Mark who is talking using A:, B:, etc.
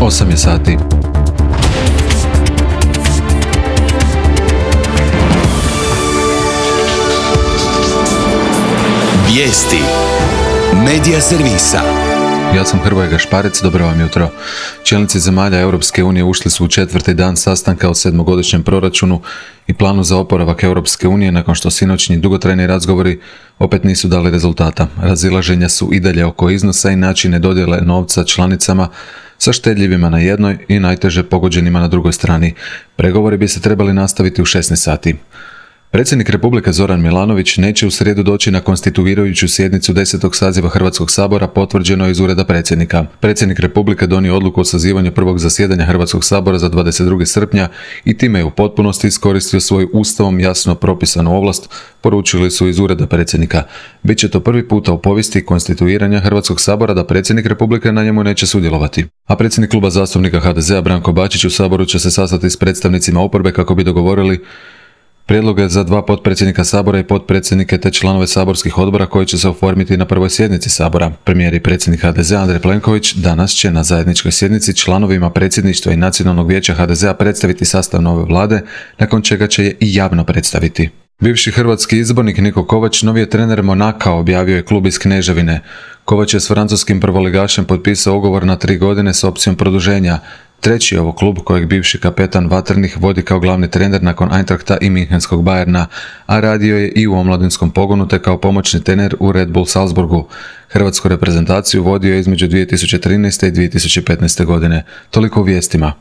A: 8 je sati.
B: Vijesti Medija servisa.
A: Ja sam Hrvoje Gašparec, dobro vam jutro. Čelnici zemalja Europske unije ušli su u 4. dan sastanka o 7-godišnjem proračunu i planu za oporavak Europske unije nakon što sinoćnji dugotrajni razgovori opet nisu dali rezultata. Razilaženja su i dalje oko iznosa i načine dodjele novca članicama, sa štedljivima na jednoj i najteže pogođenima na drugoj strani. Pregovori bi se trebali nastaviti u 16 sati. Predsjednik Republike Zoran Milanović neće u srijedu doći na konstituirajuću sjednicu 10. saziva Hrvatskog sabora, potvrđeno je iz ureda predsjednika. Predsjednik Republike donio odluku o sazivanju prvog zasjedanja Hrvatskog sabora za 22. srpnja i time je u potpunosti iskoristio svoju ustavom jasno propisanu ovlast, poručili su iz ureda predsjednika. Biće to prvi puta u povijesti konstituiranja Hrvatskog sabora da predsjednik Republike na njemu neće sudjelovati. A predsjednik kluba zastupnika HDZ-a Branko Bačić u saboru će se sastati s predstavnicima oporbe kako bi dogovorili prijedloge za 2 potpredsjednika sabora i potpredsjednike te članove saborskih odbora koji će se oformiti na prvoj sjednici sabora. Premijer i predsjednik HDZ-a Andrej Plenković danas će na zajedničkoj sjednici članovima predsjedništva i Nacionalnog vijeća HDZ-a predstaviti sastav nove vlade, nakon čega će je i javno predstaviti. Bivši hrvatski izbornik Niko Kovač novi je trener Monaka, objavio je klub iz Kneževine. Kovač je s francuskim prvoligašem potpisao ugovor na 3 godine s opcijom produženja. Treći je ovo klub kojeg bivši kapetan Vatrenih vodi kao glavni trener nakon Eintrachta i Münchenskog Bayerna, a radio je i u omladinskom pogonu te kao pomoćni trener u Red Bull Salzburgu. Hrvatsku reprezentaciju vodio je između 2013. i 2015. godine. Toliko u vijestima.